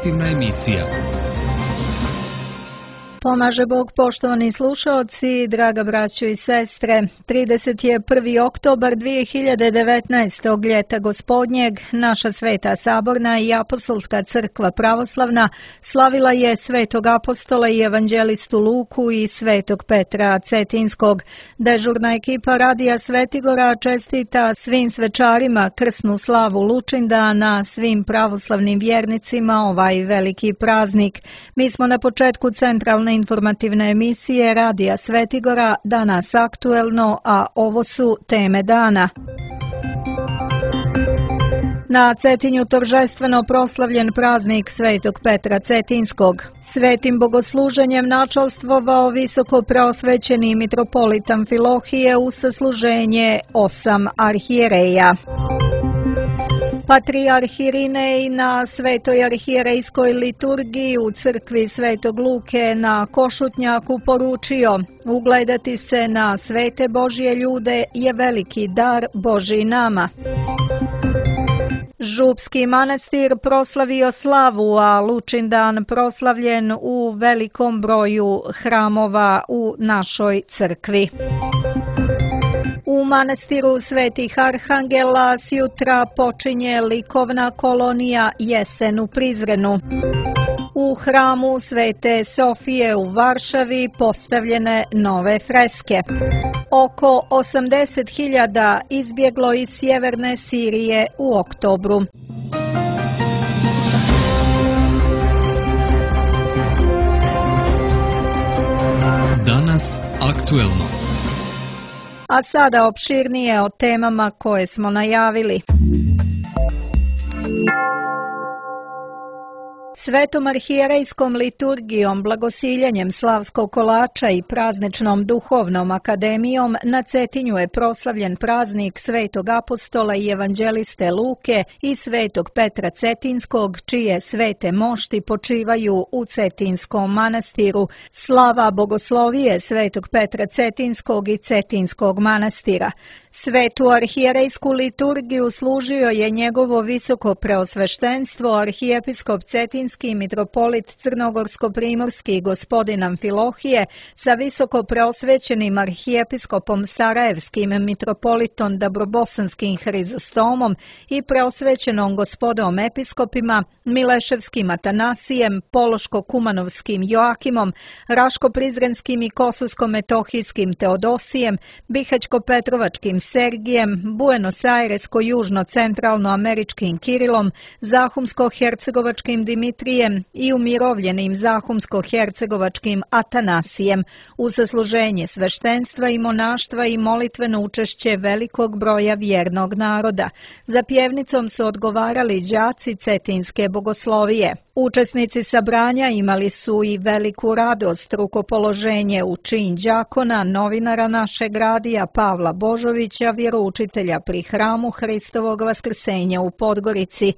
informativna emisija. Pomaže Bog, poštovani slušaoci, draga braćo i sestre. 31. oktobar 2019. ljeta gospodnjeg, naša Sveta Saborna i Apostolska crkva pravoslavna slavila je Svetog apostola i evanđelistu Luku i Svetog Petra Cetinskog. Dežurna ekipa Radija Svetigora čestita svim svečarima krsnu slavu Lučindana, svim pravoslavnim vjernicima ovaj veliki praznik. Mi smo na početku centralne informativne emisije Radija Svetigora, danas aktuelno, a ovo su teme dana. Na Cetinju торжествено proslavljen praznik Svetog Petra Cetinskog. Svetim bogosluženjem načalstvovao visoko preosvećeni mitropolit Amfilohije u sasluženje 8 arhijereja. Patrijarh Irinej na Svetoj arhijerejskoj liturgiji u crkvi Svetog Luke na Košutnjaku poručio: ugledati se na svete Božje ljude je veliki dar Božji nama. Župski manastir proslavio slavu, a Lučindan proslavljen u velikom broju hramova u našoj crkvi. U manastiru Svetih Arhangela sjutra počinje likovna kolonija Jesen u Prizrenu. U hramu Svete Sofije u Varšavi postavljene nove freske. Oko 80.000 izbjeglo iz sjeverne Sirije u oktobru. Danas aktuelno. A sada opširnije o temama koje smo najavili. Svetom arhijerejskom liturgijom, blagosiljenjem slavskog kolača i prazničnom duhovnom akademijom na Cetinju je proslavljen praznik Svetog apostola i evanđeliste Luke i Svetog Petra Cetinskog, čije svete mošti počivaju u Cetinskom manastiru. Slava bogoslovije Svetog Petra Cetinskog i Cetinskog manastira. Svetu arhijerejsku liturgiju služio je njegovo visoko preosveštenstvo arhijepiskop Cetinski mitropolit Crnogorsko-primorski gospodin Amfilohije sa visoko preosvećenim arhijepiskopom Sarajevskim mitropolitom Dabrobosanskim Hrizostomom i preosvećenom gospodom episkopima Mileševskim Atanasijem, Pološko-Kumanovskim Joakimom, Raško-Prizrenskim i Kosovsko-metohijskim Teodosijem, Bihać-Petrovačkim Sergijem, Buenos Airesko-južno-centralno-američkim Kirilom, Zahumsko-hercegovačkim Dimitrijem i umirovljenim Zahumsko-hercegovačkim Atanasijem, u zasluženje sveštenstva i monaštva i molitveno učešće velikog broja vjernog naroda. Za pjevnicom su odgovarali đaci Cetinske bogoslovije. Učesnici sabranja imali su i veliku radost, rukopoloženje u čin đakona, novinara našeg radija Pavla Božovića, vjeroučitelja pri hramu Hristovog vaskrsenja u Podgorici.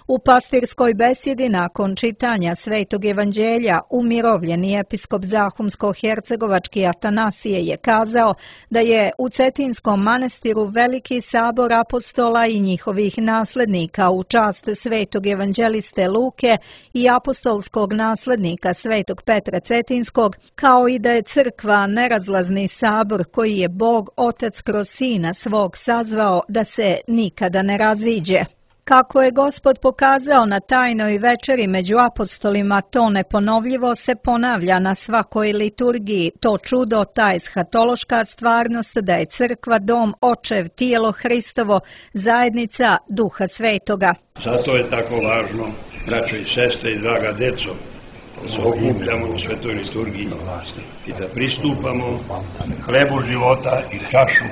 U pastirskoj besjedi nakon čitanja Svetog evanđelja umirovljeni episkop Zahumsko-hercegovački Atanasije je kazao da je u Cetinskom manastiru veliki sabor apostola i njihovih naslednika u čast Svetog evanđeliste Luke i apostolskog naslednika Svetog Petra Cetinskog, kao i da je crkva nerazlazni sabor koji je Bog Otac kroz Sina svog sazvao da se nikada ne raziđe. Kako je Gospod pokazao na tajnoj večeri među apostolima, to neponovljivo se ponavlja na svakoj liturgiji, to čudo, ta eshatološka stvarnost da je crkva dom, očev, tijelo Hristovo, zajednica Duha Svetoga. Zato je tako važno, braćo i sestre i draga deco, da se okupljamo u svetoj liturgiji i da pristupamo hlebu života i čaši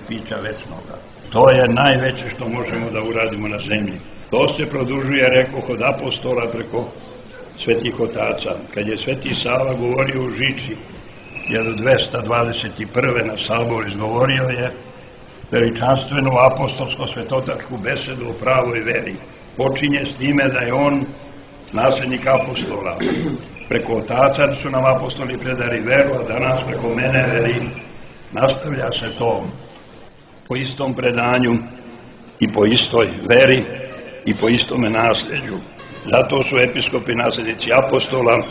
pića večnoga. To je najveće što možemo da uradimo na zemlji. To se produžuje, rekoh, od apostola preko svetih otaca. Kad je Sveti Sava govorio u Žiči 1221. na Saboru, izgovorio je veličanstvenu apostolsko-svetotačku besedu o pravoj veri. Počinje s time da je on naslednik apostola. Preko otaca su nam apostoli predali veru, a danas preko mene veri. Nastavlja se to po istom predanju i po istoj veri i po istome nasljeđu. Zato su episkopi nasljednici apostola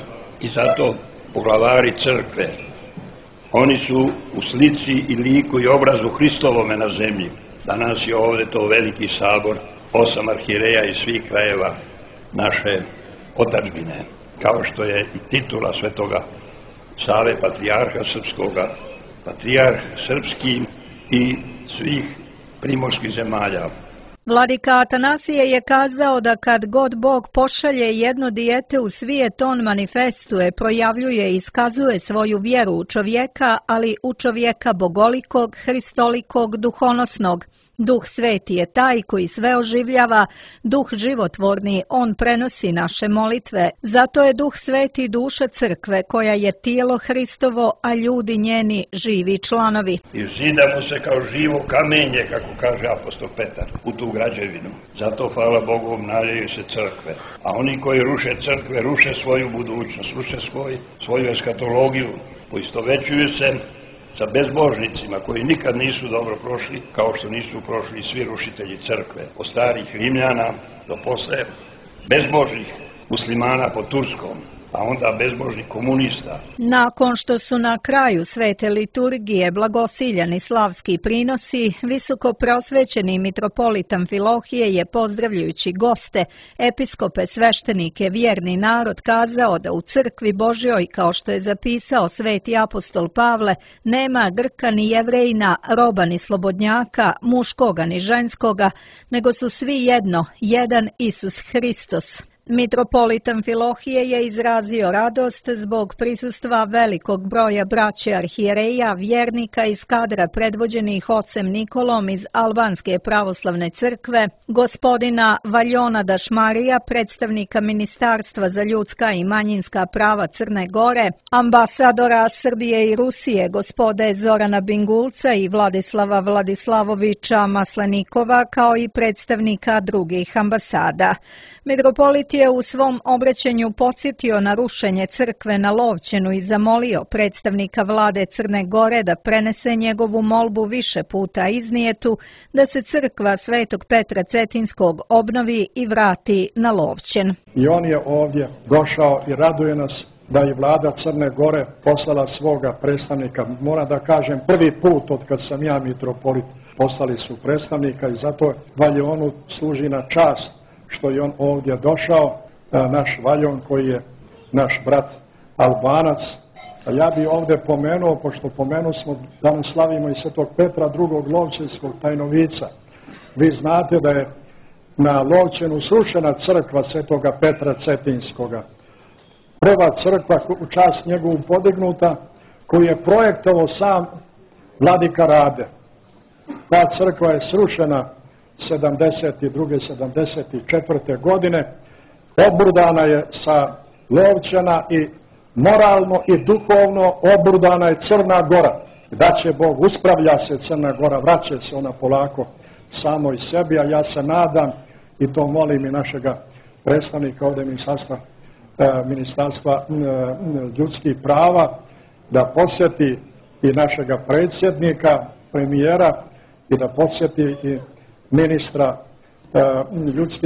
i zato poglavari crkve. Oni su u slici i liku i obrazu Hristovome na zemlji. Danas je ovde to veliki sabor, 8 arhijereja iz svih krajeva naše otadžbine, kao što je i titula Svetoga Save, patrijarha srpskoga, patrijarh srpski i svih primorskih zemalja. Vladika Atanasije je kazao da kad god Bog pošalje jedno dijete u svijet, on manifestuje, projavljuje i iskazuje svoju vjeru u čovjeka, ali u čovjeka bogolikog, hristolikog, duhonosnog. Duh sveti je taj koji sve oživljava, duh životvorni, on prenosi naše molitve. Zato je duh sveti duša crkve, koja je tijelo Hristovo, a ljudi njeni živi članovi. I zidamo se kao živo kamenje, kako kaže apostol Petar, u tu građevinu. Zato, hvala Bogu, obnavljaju se crkve. A oni koji ruše crkve, ruše svoju budućnost, ruše svoju eskatologiju, poistovećuju se sa bezbožnicima koji nikad nisu dobro prošli, kao što nisu prošli svi rušitelji crkve, od starih Rimljana do posle bezbožnih muslimana po Turskom, a onda bezbožnih komunista. Nakon što su na kraju svete liturgije blagosiljani slavski prinosi, visoko prosvećeni mitropolit Amfilohije je, pozdravljajući goste, episkope, sveštenike, vjerni narod, kazao da u crkvi Božjoj, kao što je zapisao sveti apostol Pavle, nema Grka ni Jevrejina, roba ni slobodnjaka, muškoga ni ženskoga, nego su svi jedno, jedan Isus Hristos. Mitropolit Amfilohije je izrazio radost zbog prisustva velikog broja braće arhijereja, vjernika iz kadra predvođenih ocem Nikolom iz Albanske pravoslavne crkve, gospodina Valjona Dašmarija, predstavnika Ministarstva za ljudska i manjinska prava Crne Gore, ambasadora Srbije i Rusije, gospode Zorana Bingulca i Vladislava Vladislavovića Maslenikova, kao i predstavnika drugih ambasada. Mitropolit je u svom obraćanju podsjetio na rušenje crkve na Lovćenu i zamolio predstavnika vlade Crne Gore da prenese njegovu molbu više puta iznijetu, da se crkva Svetog Petra Cetinskog obnovi i vrati na Lovćen. I on je ovdje došao i raduje nas da je vlada Crne Gore poslala svoga predstavnika. Moram da kažem, prvi put od kad sam ja mitropolit poslali su predstavnika i zato Valjonu služi na čast što je on ovdje došao, naš Valjon koji je naš brat Albanac. A ja bi ovdje pomenuo, pošto smo, danas slavimo i Svetog Petra drugog Lovćenskog tajnovica. Vi znate da je na Lovćenu srušena crkva Svetoga Petra Cetinskoga. Prva crkva u čast njegovu podignuta, koju je projektovao sam vladika Rade. Ta crkva je srušena 72. 74. godine, obrudana je sa Lovćena i moralno i duhovno obrudana je Crna Gora. Da će Bog, uspravlja se Crna Gora, vraća se ona polako samo i sebi, a ja se nadam i to molim i našega predstavnika ovdje Ministarstva ljudskih prava da posjeti i našega predsjednika, premijera i da posjeti i ministra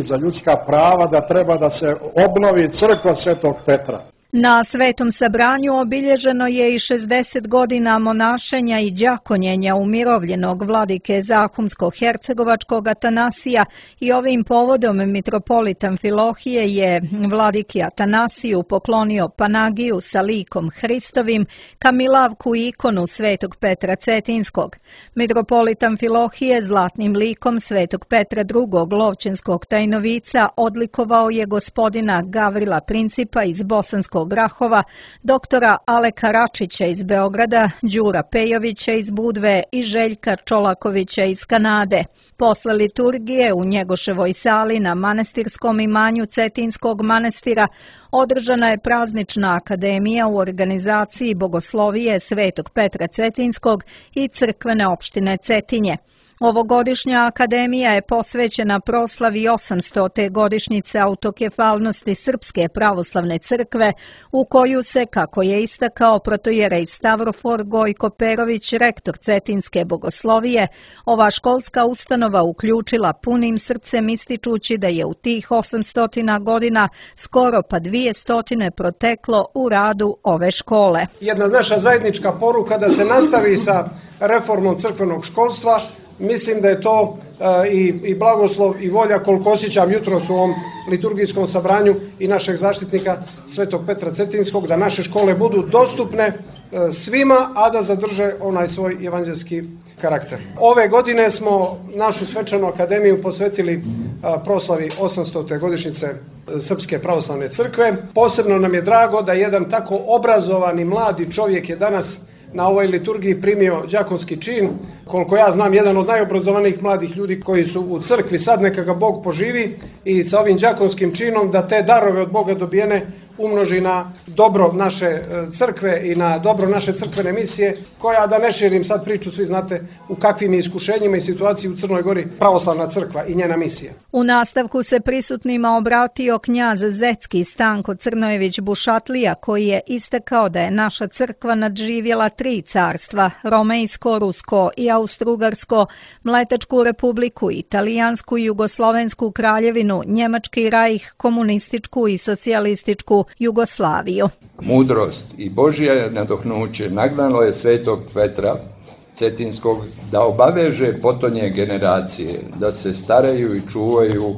za ljudska prava da treba da se obnovi crkva Svetog Petra. Na svetom sabranju obilježeno je i 60 godina monašenja i đakonjenja umirovljenog vladike Zahumsko-hercegovačkog Atanasija i ovim povodom mitropolit Amfilohije je vladiki Atanasiju poklonio Panagiju sa likom Hristovim, kamilavku i ikonu Svetog Petra Cetinskog. Mitropolit Amfilohije zlatnim likom Svetog Petra II. Lovćenskog tajnovica odlikovao je gospodina Gavrila Principa iz Bosanskog Grahova, doktora Aleka Račića iz Beograda, Đura Pejovića iz Budve i Željka Čolakovića iz Kanade. Posle liturgije u Njegoševoj sali na manastirskom imanju Cetinskog manastira održana je praznična akademija u organizaciji Bogoslovije Svetog Petra Cetinskog i crkvene opštine Cetinje. Ovogodišnja akademija je posvećena proslavi 800. godišnjice autokefalnosti Srpske pravoslavne crkve, u koju se, kako je istakao protojerej Stavrofor Gojko Perović, rektor Cetinske bogoslovije, ova školska ustanova uključila punim srcem, ističući da je u tih 800 godina skoro pa 200 proteklo u radu ove škole. Jedna naša zajednička poruka da se nastavi sa reformom crkvenog školstva. Mislim da je to i blagoslov i volja, koliko osjećam jutros u ovom liturgijskom sabranju i našeg zaštitnika Svetog Petra Cetinskog, da naše škole budu dostupne svima, a da zadrže onaj svoj evanđelski karakter. Ove godine smo našu svečanu akademiju posvetili proslavi 800. godišnjice Srpske pravoslavne crkve. Posebno nam je drago da jedan tako obrazovani mladi čovjek je danas na ovoj liturgiji primio đakonski čin. Koliko ja znam, jedan od najobrazovanijih mladih ljudi koji su u crkvi, sad neka ga Bog poživi i sa ovim đakonskim činom da te darove od Boga dobijene umnoži na dobro naše crkve i na dobro naše crkvene misije, koja, da ne širim sad priču, svi znate u kakvim iskušenjima i situaciji u Crnoj Gori pravoslavna crkva i njena misija. U nastavku se prisutnima obratio knjaz Zetski Stanko Crnojević Bušatlija, koji je istakao da je naša crkva nadživjela 3 carstva, Romejsko, Rusko i Austrougarsko, Mletačku republiku, Italijansku i Jugoslovensku kraljevinu, Njemački rajh, komunističku i socijalističku Jugoslaviju. Mudrost i Božje nadohnuće nagnalo je Svetog Petra Cetinskog da obaveže potonje generacije, da se staraju i čuvaju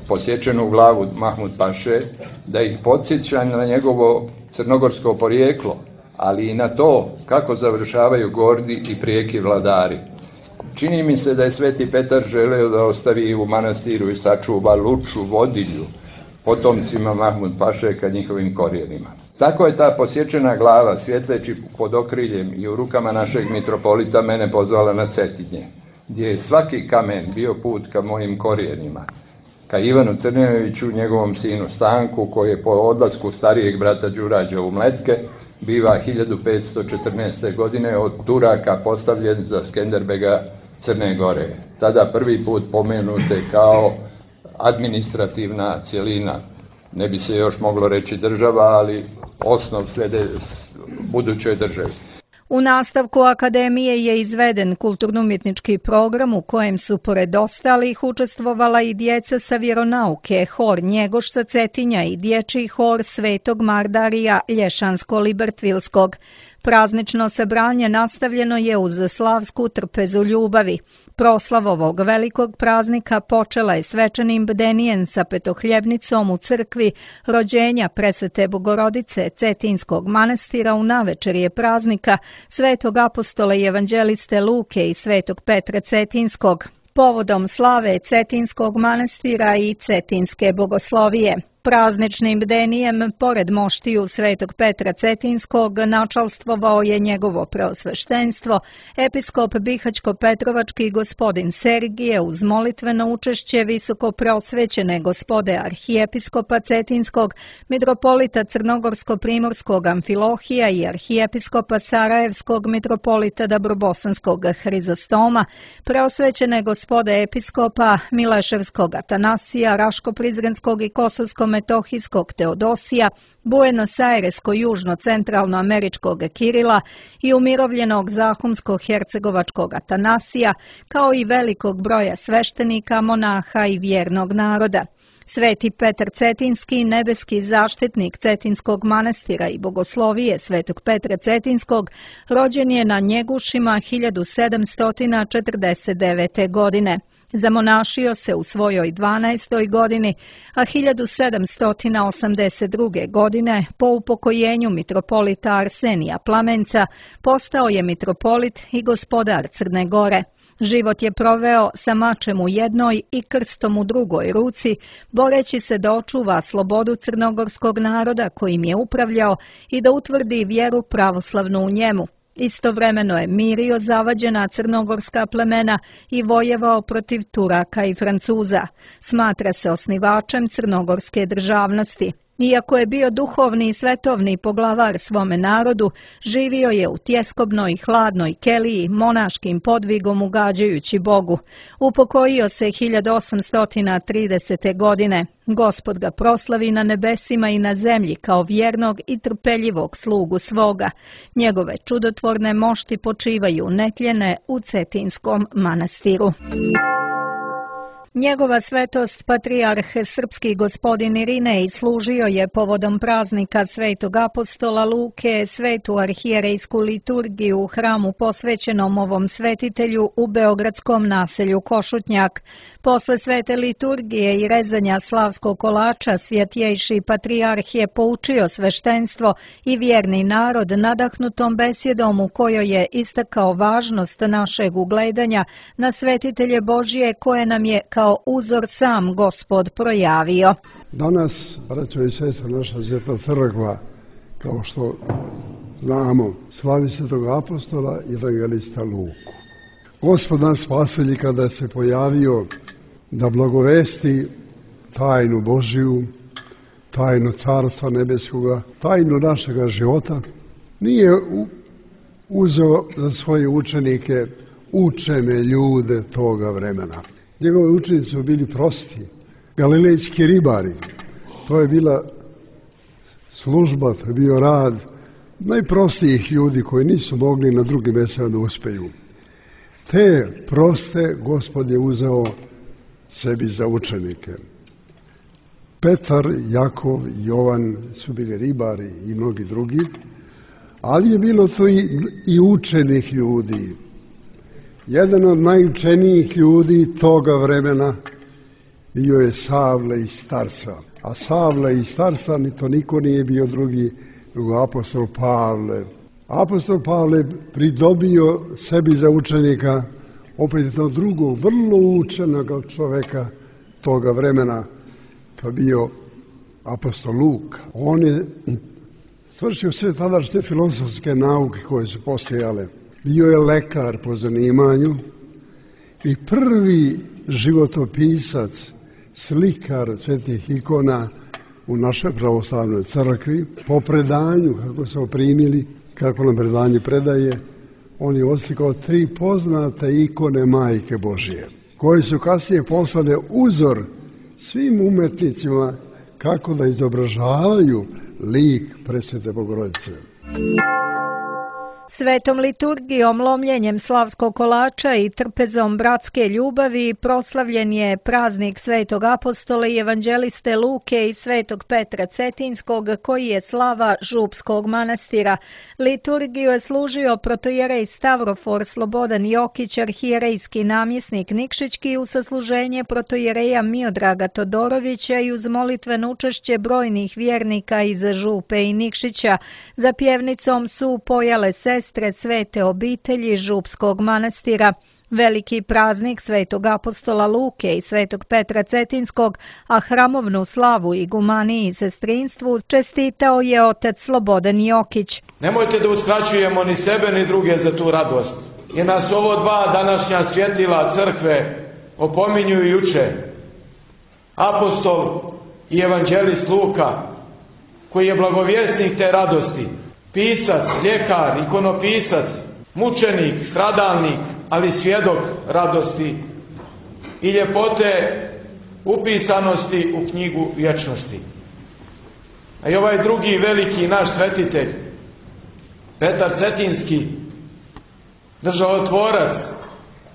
posječenu glavu Mahmud Paše, da ih podsjeća na njegovo crnogorsko porijeklo, ali i na to kako završavaju gordi i prijeki vladari. Čini mi se da je Sveti Petar želeo da ostavi u manastiru i sačuva luču vodilju potomcima Mahmud Paše ka njihovim korijenima. Tako je ta posječena glava, svjetleći pod okriljem i u rukama našeg mitropolita, mene pozvala na Cetinje, gdje je svaki kamen bio put ka mojim korijenima, ka Ivanu Crnjeviću, njegovom sinu Stanku, koji je po odlasku starijeg brata Đurađa u Mletke biva 1514. godine od Turaka postavljen za Skenderbega Crne Gore. Tada prvi put pomenute kao administrativna cjelina. Ne bi se još moglo reći država, ali osnov slijede budućoj državi. U nastavku akademije je izveden kulturno-umjetnički program u kojem su pored ostalih učestvovala i djeca sa vjeronauke, hor Njegošta Cetinja i dječji hor Svetog Mardarija Lješansko-Libertvilskog. Praznično sabranje nastavljeno je uz slavsku trpezu ljubavi. Proslav ovog velikog praznika počela je svečanim bdenijem sa petohljebnicom u crkvi rođenja Presvete Bogorodice Cetinskog manastira u navečerje praznika Svetog apostola i evanđeliste Luke i Svetog Petra Cetinskog, povodom slave Cetinskog manastira i Cetinske bogoslovije. Prazničnim bdenijem, pored moštiju Svetog Petra Cetinskog, načalstvovao je njegovo preosveštenstvo, episkop Bihać-Petrovački gospodin Sergije uz molitveno učešće visoko preosvećene gospode arhijepiskopa Cetinskog, mitropolita Crnogorsko-Primorskog Amfilohija i arhijepiskopa Sarajevskog mitropolita Dabrobosanskog Hrizostoma, preosvećene gospode episkopa Mileševskog Atanasija, Raško-Prizrenskog i Kosovsko-Metohijskog Teodosija, Buenos-Airesko-Južno-Centralnoameričkog Kirila i umirovljenog Zahumsko-Hercegovačkog Atanasija, kao i velikog broja sveštenika, monaha i vjernog naroda. Sveti Petar Cetinski, nebeski zaštitnik Cetinskog manastira i bogoslovije Svetog Petra Cetinskog, rođen je na Njegušima 1749. godine. Zamonašio se u svojoj 12. godini, a 1782. godine po upokojenju mitropolita Arsenija Plamenca postao je mitropolit i gospodar Crne Gore. Život je proveo sa mačem u jednoj i krstom u drugoj ruci, boreći se da očuva slobodu crnogorskog naroda kojim je upravljao i da utvrdi vjeru pravoslavnu u njemu. Istovremeno je mirio zavađena crnogorska plemena i vojevao protiv Turaka i Francuza. Smatra se osnivačem crnogorske državnosti. Iako je bio duhovni i svetovni poglavar svome narodu, živio je u tjeskobnoj, hladnoj keliji, monaškim podvigom ugađajući Bogu. Upokojio se 1830. godine. Gospod ga proslavi na nebesima i na zemlji kao vjernog i trpeljivog slugu svoga. Njegove čudotvorne mošti počivaju netljene u Cetinskom manastiru. Njegova svetost patrijarh srpski gospodin Irinej služio je povodom praznika svetog apostola Luke svetu arhijerejsku liturgiju u hramu posvećenom ovom svetitelju u beogradskom naselju Košutnjak. Posle svete liturgije i rezanja slavskog kolača svjetjejši patrijarh je poučio sveštenstvo i vjerni narod nadahnutom besjedom u kojoj je istakao važnost našeg ugledanja na svetitelje Božije koje nam je kao uzor sam Gospod projavio. Danas, braćo i sestre, naša Sveta crkva, kao što znamo, slavi svetog apostola i evangelista Luku. Gospod nas spasitelj kada se pojavio da blagovesti tajnu Božiju, tajnu Carstva nebeskoga, tajnu našega života, nije uzeo za svoje učenike učene ljude toga vremena. Njegovi učenici su bili prosti, galilejski ribari. To je bila služba, to je bio rad najprostijih ljudi koji nisu mogli na drugim mestima da uspeju. Te proste Gospod je uzeo sebi za učenike. Petar, Jakov, Jovan su bili ribari i mnogi drugi, ali je bilo to i učenih ljudi. Jedan od najučenijih ljudi toga vremena bio je Savle iz Tarsa. A Savle iz Tarsa ni to niko nije bio drugi nego apostol Pavle. Apostol Pavle pridobio sebi za učenika opet jednog drugog, vrlo učenog čoveka toga vremena, to bio apostol Luka. On je svršio sve tadašnje filozofske nauke koje su postojale. Bio je lekar po zanimanju i prvi životopisac, slikar svetih ikona u našoj pravoslavnoj crkvi. Po predanju, kako su primili, kako nam predanje predaje, on je oslikao 3 poznate ikone Majke Božije, koje su kasnije poslale uzor svim umetnicima kako da izobražavaju lik presvete Bogorodice. Svetom liturgijom, lomljenjem slavskog kolača i trpezom bratske ljubavi proslavljen je praznik svetog apostola i evanđeliste Luke i svetog Petra Cetinskog, koji je slava Župskog manastira. Liturgiju je služio protojerej Stavrofor Slobodan Jokić, arhijerejski namjesnik Nikšićki, u sasluženje protojereja Miodraga Todorovića i uz molitveno učešće brojnih vjernika iz Župe i Nikšića. Za pjevnicom su pojale sestre svete obitelji Župskog manastira. Veliki praznik svetog apostola Luke i svetog Petra Cetinskog, a hramovnu slavu igumaniji i sestrinstvu čestitao je otac Slobodan Jokić. Nemojte da uskraćujemo ni sebe ni druge za tu radost. I nas ovo 2 današnja svjetila crkve opominju i uče. Apostol i evanđelist Luka, koji je blagovjesnik te radosti, pisac, ljekar, ikonopisac, mučenik, stradalnik, ali svjedok radosti i ljepote upisanosti u knjigu vječnosti. A i ovaj drugi veliki naš svetitelj, Petar Cetinski, državotvorac,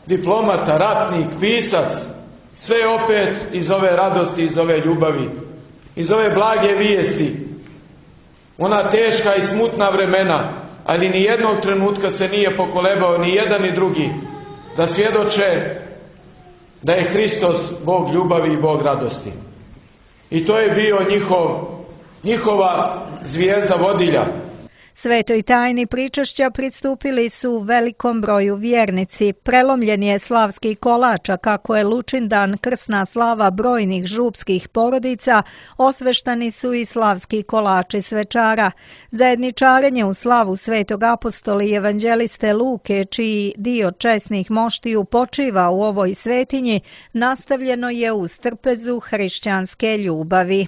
diplomata, ratnik, pisac, sve opet iz ove radosti, iz ove ljubavi, iz ove blage vijesti, ona teška i smutna vremena, ali ni jednog trenutka se nije pokolebao ni jedan ni drugi da svjedoče da je Hristos Bog ljubavi i Bog radosti. I to je bio njihova zvijezda vodilja. Svetoj tajni pričašća pristupili su velikom broju vjernici. Prelomljen je slavski kolač, a kako je Lučindan krsna slava brojnih župskih porodica, osveštani su i slavski kolači svečara. Zajedničarenje u slavu svetog apostola i evanđeliste Luke, čiji dio česnih moštiju počiva u ovoj svetinji, nastavljeno je uz trpezu hrišćanske ljubavi.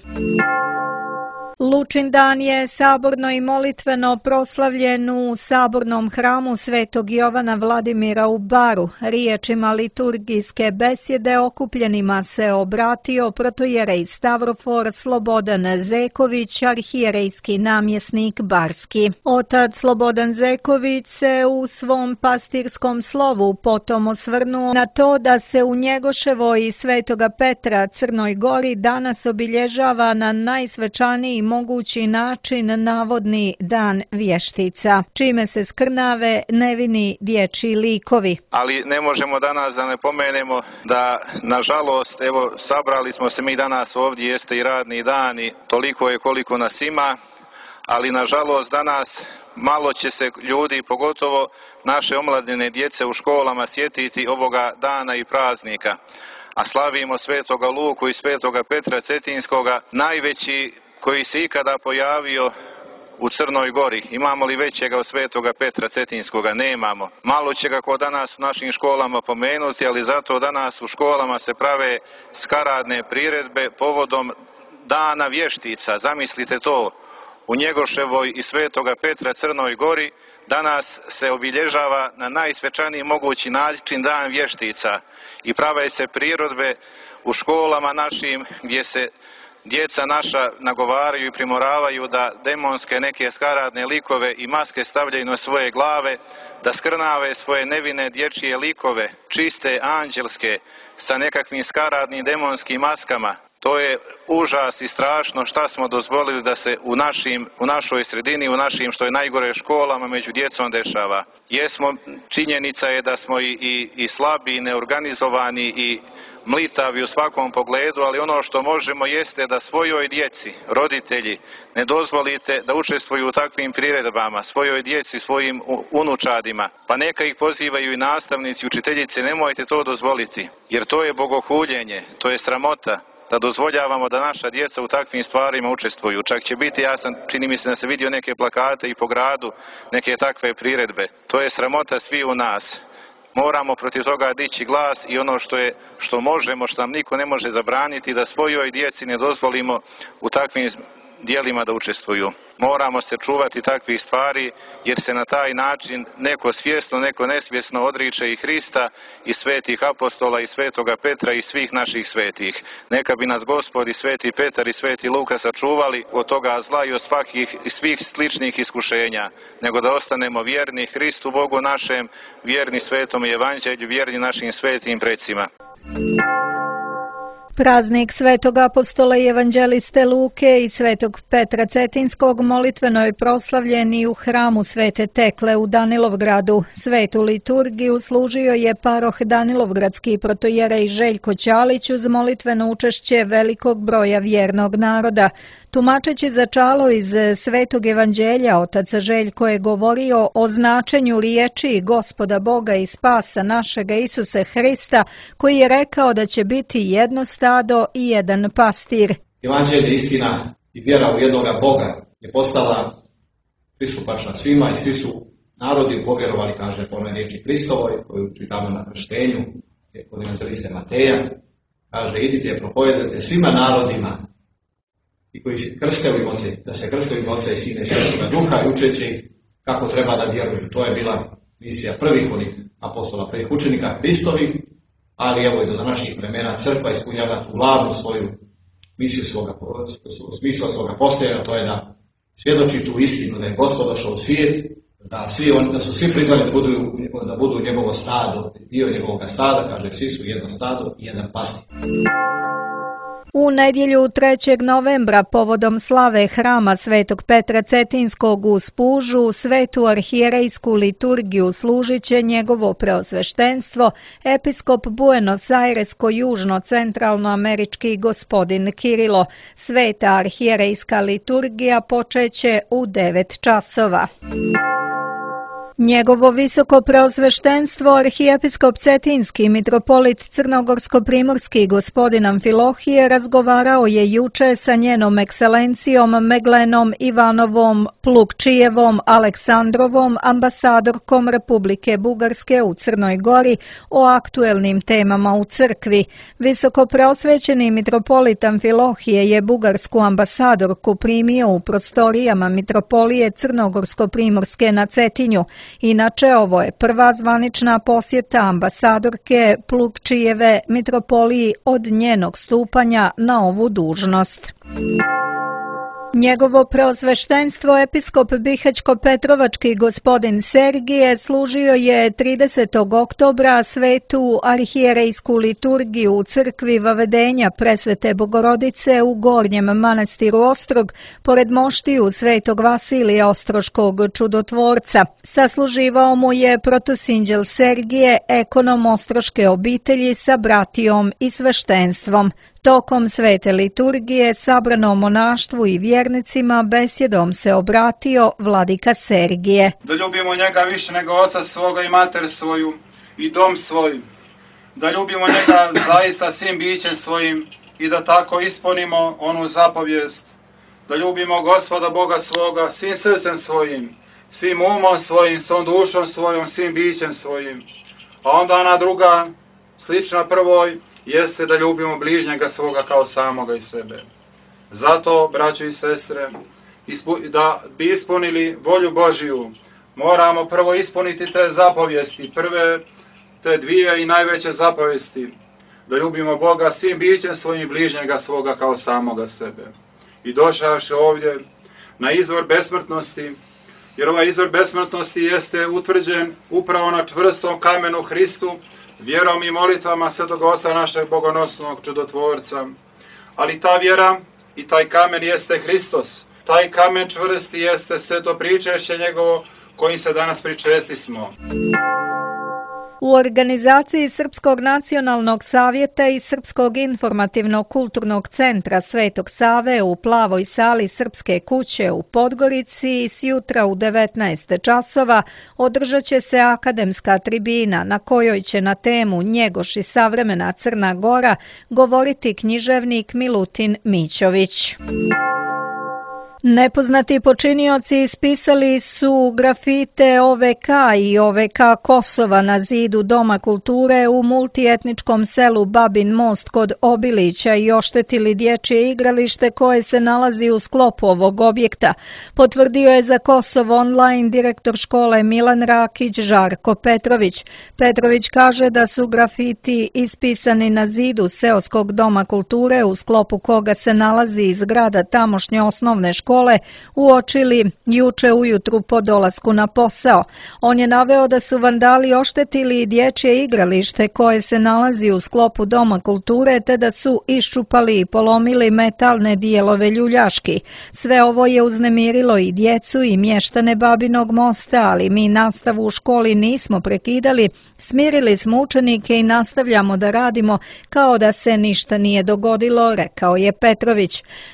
Lučin dan je saborno i molitveno proslavljen u sabornom hramu Svetog Jovana Vladimira u Baru. Riječima liturgijske besjede okupljenima se obratio protojerej Stavrofor Slobodan Zeković, arhijerejski namjesnik Barski. Otac Slobodan Zeković se u svom pastirskom slovu potom osvrnuo na to da se u Njegoševoj i Svetoga Petra Crnoj Gori danas obilježava na najsvečaniji mogući način navodni dan vještica, čime se skrnave nevini dječji likovi. Ali ne možemo danas da ne pomenemo da, nažalost, evo, sabrali smo se mi danas ovdje, jeste i radni dan i toliko je koliko nas ima, ali nažalost danas malo će se ljudi, pogotovo naše omladine djece u školama, sjetiti ovoga dana i praznika. A slavimo Svetoga Luku i Svetoga Petra Cetinskoga, najveći koji se ikada pojavio u Crnoj Gori. Imamo li većega od Svetoga Petra Cetinskoga? Nemamo. Malo će ga ko danas u našim školama pomenuti, ali zato danas u školama se prave skaradne priredbe povodom dana vještica. Zamislite to, u Njegoševoj i Svetoga Petra Crnoj Gori danas se obilježava na najsvečaniji mogući način dan vještica i prave se priredbe u školama našim gdje se djeca naša nagovaraju i primoravaju da demonske neke skaradne likove i maske stavljaju na svoje glave, da skrnave svoje nevine dječje likove, čiste, anđelske, sa nekakvim skaradnim demonskim maskama. To je užas i strašno šta smo dozvolili da se u našoj sredini, u našim što je najgore školama među djecom dešava. Činjenica je da smo i slabi, i neorganizovani, i mlitavi u svakom pogledu, ali ono što možemo jeste da svojoj djeci, roditelji, ne dozvolite da učestvuju u takvim priredbama, svojoj djeci, svojim unučadima, pa neka ih pozivaju i nastavnici, učiteljice, nemojte to dozvoliti, jer to je bogohuljenje, to je sramota da dozvoljavamo da naša djeca u takvim stvarima učestvuju. Čak će biti, čini mi se da se vidio neke plakate i po gradu, neke takve priredbe. To je sramota svi u nas. Moramo protiv toga dići glas i ono što možemo, što nam niko ne može zabraniti, da svojoj djeci ne dozvolimo u takvim dijelima da učestvuju. Moramo se čuvati takvih stvari jer se na taj način neko svjesno, neko nesvjesno odriče i Hrista i svetih apostola i Svetoga Petra i svih naših svetih. Neka bi nas Gospod i Sveti Petar i Sveti Luka sačuvali od toga zla i od svih sličnih iskušenja, nego da ostanemo vjerni Hristu Bogu našem, vjerni Svetom Evanđelju, vjerni našim svetim precima. Praznik Svetog apostola i evanđeliste Luke i Svetog Petra Cetinskog molitveno je proslavljen i u hramu Svete Tekle u Danilovgradu. Svetu liturgiju služio je paroh Danilovgradski protojerej Željko Ćalić uz molitveno učešće velikog broja vjernog naroda. Tumačeći začalo iz Svetog evanđelja, otac Željko je govorio o značenju riječi Gospoda Boga i spasa našega Isuse Hrista, koji je rekao da će biti jedno stado i jedan pastir. Evanđelje, istina i vjera u jednoga Boga je postala pristupačna svima i svi su narodi povjerovali, kaže po onoj riječi Hristovoj, koju čitamo na krštenju, kod evanđeliste Mateja, kaže idite, propovedajte svima narodima i koji se krste u ime Oca, da se krste u ime Oca i Sina i Svetoga Duha i učeći kako treba da vjeruju. To je bila misija prvih onih apostola, prvih učenika Hristovi, ali evo i do današnjih vremena crkva ispunjava tu glavnu svoju misiju smisla svoga postojanja, to je da svjedoči tu istinu, da je Gospod došao u svijet, da su svi prizvani da budu njegovo stado, dio njegovog stada, kaže svi su jedno stado i jedan pastir. U nedjelju 3. novembra povodom slave hrama Svetog Petra Cetinskog u Spužu svetu arhijerejsku liturgiju služit će njegovo preosveštenstvo episkop Buenos Aires-južno-centralnoamerički gospodin Kirilo. Sveta arhijerejska liturgija počeće u 9 časova. Njegovo visoko preosveštenstvo arhijepiskop Cetinski mitropolit Crnogorsko-primorski gospodin Amfilohije razgovarao je juče sa njenom ekscelencijom Meglenom Ivanovom Plukčijevom Aleksandrovom, ambasadorkom Republike Bugarske u Crnoj Gori, o aktuelnim temama u crkvi. Visoko preosvećeni mitropolit Amfilohije je bugarsku ambasadorku primio u prostorijama mitropolije Crnogorsko-primorske na Cetinju. Inače, ovo je prva zvanična posjeta ambasadorke Plukčijeve mitropoliji od njenog stupanja na ovu dužnost. Njegovo preosveštenstvo episkop Bihaćko-Petrovački gospodin Sergije služio je 30. oktobra svetu arhijerejsku liturgiju u crkvi Vavedenja Presvete Bogorodice u Gornjem manastiru Ostrog, pored moštiju svetog Vasilija Ostroškog čudotvorca. Sasluživao mu je protosinđel Sergije, ekonom ostroške obitelji sa bratijom i sveštenstvom. Tokom svete liturgije sabranom monaštvu i vjernicima besjedom se obratio vladika Sergije. Da ljubimo njega više nego oca svoga i mater svoju i dom svoj. Da ljubimo njega zaista svim bićem svojim i da tako ispunimo onu zapovijest. Da ljubimo Gospoda Boga svoga svim srcem svojim, svim umom svojim, svom dušom svojom, svim bićem svojim. A onda ona druga, slična prvoj, jeste da ljubimo bližnjega svoga kao samoga i sebe. Zato, braćo i sestre, da bi ispunili volju Božiju, moramo prvo ispuniti te zapovijesti, prve te dvije i najveće zapovijesti, da ljubimo Boga svim bićem svojim i bližnjega svoga kao samoga sebe. I došavši ovdje na izvor besmrtnosti, jer ovaj izvor besmrtnosti jeste utvrđen upravo na čvrstom kamenu Hristu, vjerom i molitvama Svetog Oca našeg bogonosnog čudotvorca. Ali ta vjera i taj kamen jeste Hristos. Taj kamen čvrsti jeste sveto pričešće njegovo kojim se danas pričesti smo. U organizaciji Srpskog nacionalnog savjeta i Srpskog informativno-kulturnog centra Svetog Save u Plavoj sali Srpske kuće u Podgorici sjutra u 19 časova održat će se akademska tribina na kojoj će na temu Njegoš i savremena Crna Gora govoriti književnik Milutin Mićović. Nepoznati počinioci ispisali su grafite OVK i OVK Kosova na zidu Doma kulture u multietničkom selu Babin Most kod Obilića i oštetili dječje igralište koje se nalazi u sklopu ovog objekta, potvrdio je za Kosovo online direktor škole Milan Rakić Žarko Petrović. Petrović kaže da su grafiti ispisani na zidu seoskog Doma kulture u sklopu koga se nalazi zgrada tamošnje osnovne škole uočili juče ujutru po dolasku na posao. On je naveo da su vandali oštetili dječje igralište koje se nalazi u sklopu Doma kulture te da su iščupali i polomili metalne dijelove ljuljaški. Sve ovo je uznemirilo i djecu i mještane Babinog Mosta, ali mi nastavu u školi nismo prekidali. Smirili smo učenike i nastavljamo da radimo kao da se ništa nije dogodilo, rekao je Petrović.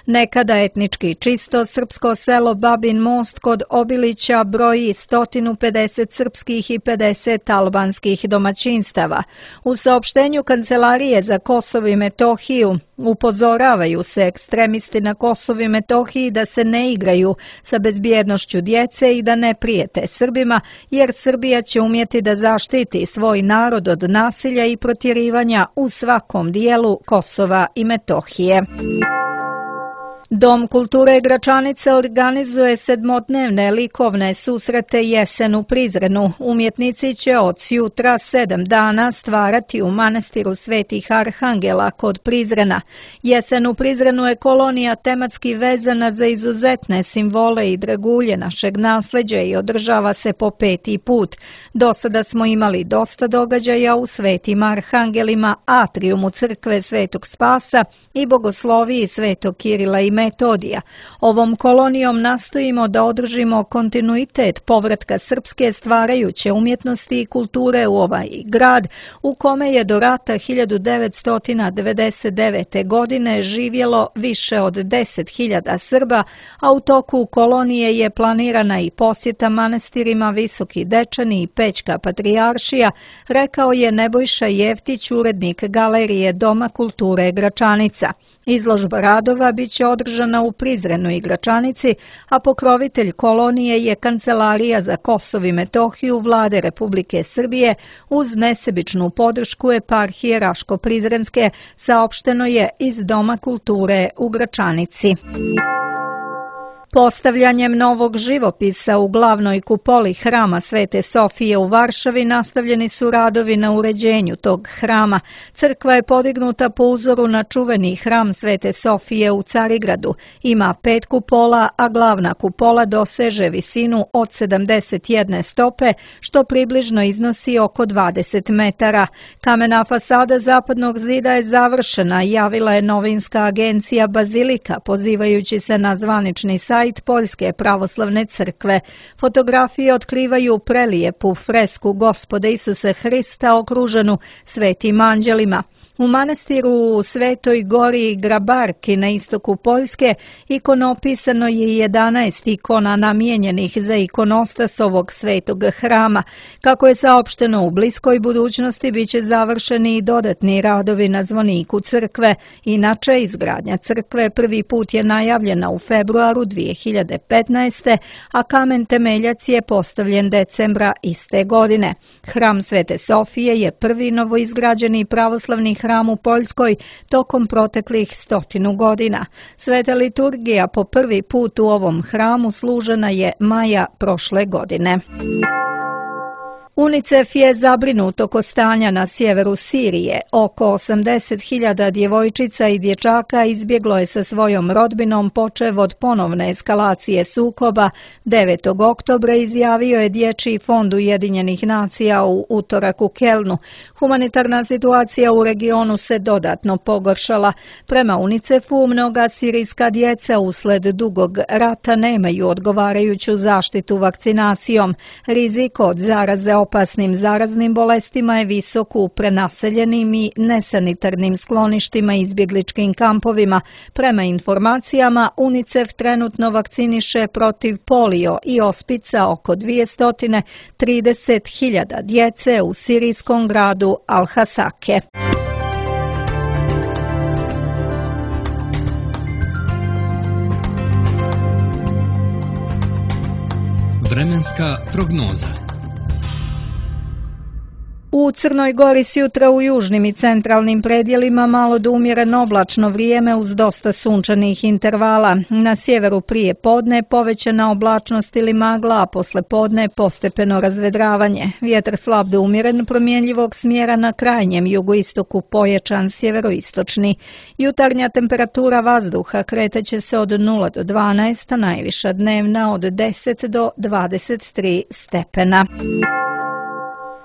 Nekada etnički čisto srpsko selo Babin Most kod Obilića broji 150 srpskih i 50 albanskih domaćinstava. U saopštenju Kancelarije za Kosovo i Metohiju upozoravaju se ekstremisti na Kosovu i Metohiji da se ne igraju sa bezbjednošću djece i da ne prijete Srbima, jer Srbija će umjeti da zaštiti svoj narod od nasilja i protjerivanja u svakom dijelu Kosova i Metohije. Dom kulture Gračanica organizuje sedmodnevne likovne susrete Jesen u Prizrenu. Umjetnici će od jutra 7 dana stvarati u manastiru Svetih Arhangela kod Prizrena. Jesen u Prizrenu je kolonija tematski vezana za izuzetne simbole i dragulje našeg nasljeđa i održava se po 5. put. Do sada smo imali dosta događaja u Svetim Arhangelima, atrijumu crkve Svetog Spasa, i bogosloviji Svetog Kirila i Metodija. Ovom kolonijom nastojimo da održimo kontinuitet povratka srpske stvarajuće umjetnosti i kulture u ovaj grad, u kome je do rata 1999. godine živjelo više od 10.000 Srba, a u toku kolonije je planirana i posjeta manastirima Visoki Dečani i Pećka Patrijaršija, rekao je Nebojša Jeftić, urednik Galerije Doma kulture Gračanica. Izložba radova biće održana u Prizrenu i Gračanici, a pokrovitelj kolonije je Kancelarija za Kosovo i Metohiju Vlade Republike Srbije uz nesebičnu podršku eparhije Raško-Prizrenske, saopšteno je iz Doma kulture u Gračanici. Postavljanjem novog živopisa u glavnoj kupoli hrama Svete Sofije u Varšavi nastavljeni su radovi na uređenju tog hrama. Crkva je podignuta po uzoru na čuveni hram Svete Sofije u Carigradu. Ima 5 kupola, a glavna kupola doseže visinu od 71 stope, što približno iznosi oko 20 metara. Kamena fasada zapadnog zida je završena, javila je novinska agencija Bazilika, pozivajući se na zvanični sajt Poljske pravoslavne crkve. Fotografije otkrivaju prelijepu fresku Gospoda Isuse Hrista okruženu svetim anđelima. U manastiru u Svetoj Gori Grabarki na istoku Poljske ikonopisano je 11 ikona namijenjenih za ikonostas ovog svetog hrama. Kako je saopšteno, u bliskoj budućnosti biće završeni i dodatni radovi na zvoniku crkve. Inače, izgradnja crkve prvi put je najavljena u februaru 2015. a kamen temeljac je postavljen decembra iste godine. Hram Svete Sofije je prvi novoizgrađeni pravoslavni hram u Poljskoj tokom proteklih 100 godina. Sveta liturgija po prvi put u ovom hramu služena je maja prošle godine. UNICEF je zabrinut oko stanja na sjeveru Sirije. Oko 80.000 djevojčica i dječaka izbjeglo je sa svojom rodbinom počev od ponovne eskalacije sukoba. 9. oktobra izjavio je Dječji fond Ujedinjenih nacija u utorak u Kelnu. Humanitarna situacija u regionu se dodatno pogoršala. Prema UNICEF-u, mnoga sirijska djeca usled dugog rata nemaju odgovarajuću zaštitu vakcinacijom. Rizik od zaraze opasnim zaraznim bolestima je visok u prenaseljenim i nesanitarnim skloništima i izbjegličkim kampovima. Prema informacijama, UNICEF trenutno vakciniše protiv polio i ospica oko 230.000 djece u sirijskom gradu Al-Hasake. Vremenska prognoza. U Crnoj Gori sjutra u južnim i centralnim predjelima malo do umjereno oblačno vrijeme uz dosta sunčanih intervala. Na sjeveru prije podne povećana oblačnost ili magla, a posle podne postepeno razvedravanje. Vjetar slab do umjeren promjenjivog smjera na krajnjem jugoistoku, pojačan sjeveroistočni. Jutarnja temperatura vazduha kretaće se od 0 do 12, a najviša dnevna od 10 do 23 stepena.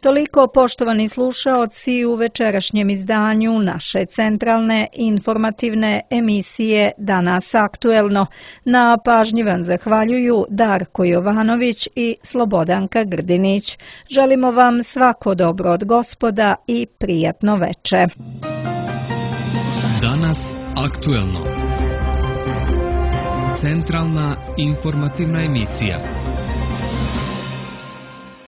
Toliko, poštovani slušaoci, u večerašnjem izdanju naše centralne informativne emisije Danas aktuelno. Na pažnji vam zahvaljuju Darko Jovanović i Slobodanka Grdinić. Želimo vam svako dobro od Gospoda i prijatno veče. Danas aktuelno. Centralna informativna emisija.